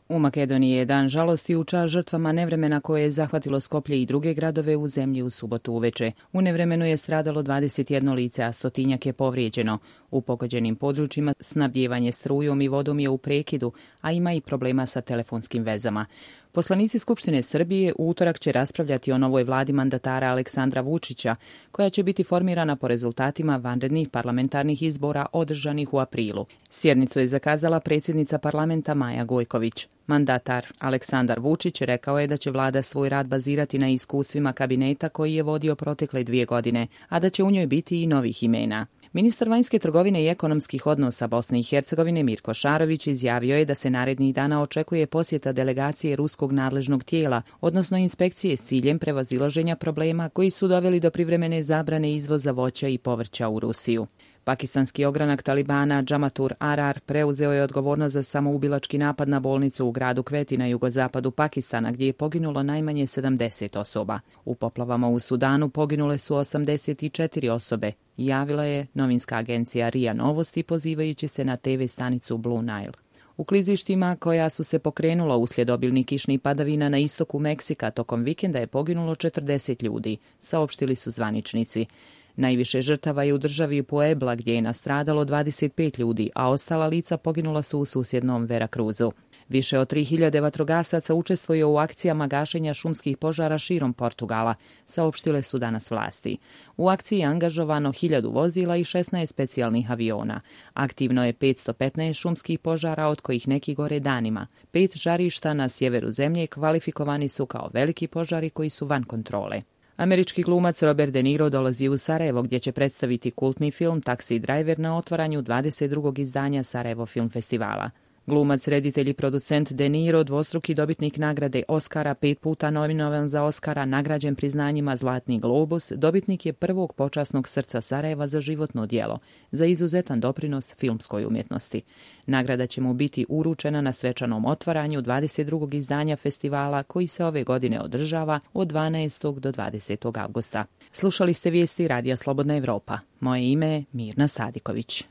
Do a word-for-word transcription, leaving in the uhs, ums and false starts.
U Makedoniji je dan žalosti u čast žrtvama nevremena koje je zahvatilo Skoplje i druge gradove u zemlji u subotu uveče. U nevremenu je stradalo dvadeset jedno lice, a stotinjak je povrijeđeno. U pogođenim područjima snabdijevanje strujom i vodom je u prekidu, a ima i problema sa telefonskim vezama. Poslanici Skupštine Srbije u utorak će raspravljati o novoj vladi mandatara Aleksandra Vučića, koja će biti formirana po rezultatima vanrednih parlamentarnih izbora održanih u aprilu. Sjednicu je zakazala predsjednica parlamenta Maja Gojković. Mandatar Aleksandar Vučić rekao je da će vlada svoj rad bazirati na iskustvima kabineta koji je vodio protekle dvije godine, a da će u njoj biti i novih imena. Ministar vanjske trgovine i ekonomskih odnosa Bosne i Hercegovine Mirko Šarović izjavio je da se narednih dana očekuje posjeta delegacije ruskog nadležnog tijela, odnosno inspekcije s ciljem prevazilaženja problema koji su doveli do privremene zabrane izvoza voća i povrća u Rusiju. Pakistanski ogranak Talibana Džamatur Arar preuzeo je odgovornost za samoubilački napad na bolnicu u gradu Kveti na jugozapadu Pakistana, gdje je poginulo najmanje sedamdeset osoba. U poplavama u Sudanu poginule su osamdeset četiri osobe, javila je novinska agencija R I A Novosti pozivajući se na te ve stanicu Blue Nile. U klizištima koja su se pokrenula uslijed obilnih kišnih padavina na istoku Meksika tokom vikenda je poginulo četrdeset ljudi, saopštili su zvaničnici. Najviše žrtava je u državi Puebla gdje je nastradalo dvadeset pet ljudi, a ostala lica poginula su u susjednom Veracruzu. Više od tri hiljade vatrogasaca učestvuje u akcijama gašenja šumskih požara širom Portugala, saopštile su danas vlasti. U akciji je angažovano hiljadu vozila i šesnaest specijalnih aviona. Aktivno je petsto petnaest šumskih požara, od kojih neki gore danima. Pet žarišta na sjeveru zemlje kvalifikovani su kao veliki požari koji su van kontrole. Američki glumac Robert De Niro dolazi u Sarajevo gdje će predstaviti kultni film Taxi Driver na otvaranju dvadeset drugog izdanja Sarajevo Film Festivala. Glumac, reditelj i producent De Niro, dvostruki dobitnik nagrade Oscara, pet puta nominovan za Oscara, nagrađen priznanjima Zlatni globus, dobitnik je prvog počasnog srca Sarajeva za životno djelo, za izuzetan doprinos filmskoj umjetnosti. Nagrada će mu biti uručena na svečanom otvaranju dvadeset drugog izdanja festivala koji se ove godine održava od dvanaestog do dvadesetog avgusta. Slušali ste vijesti Radija Slobodna Evropa. Moje ime je Mirna Sadiković.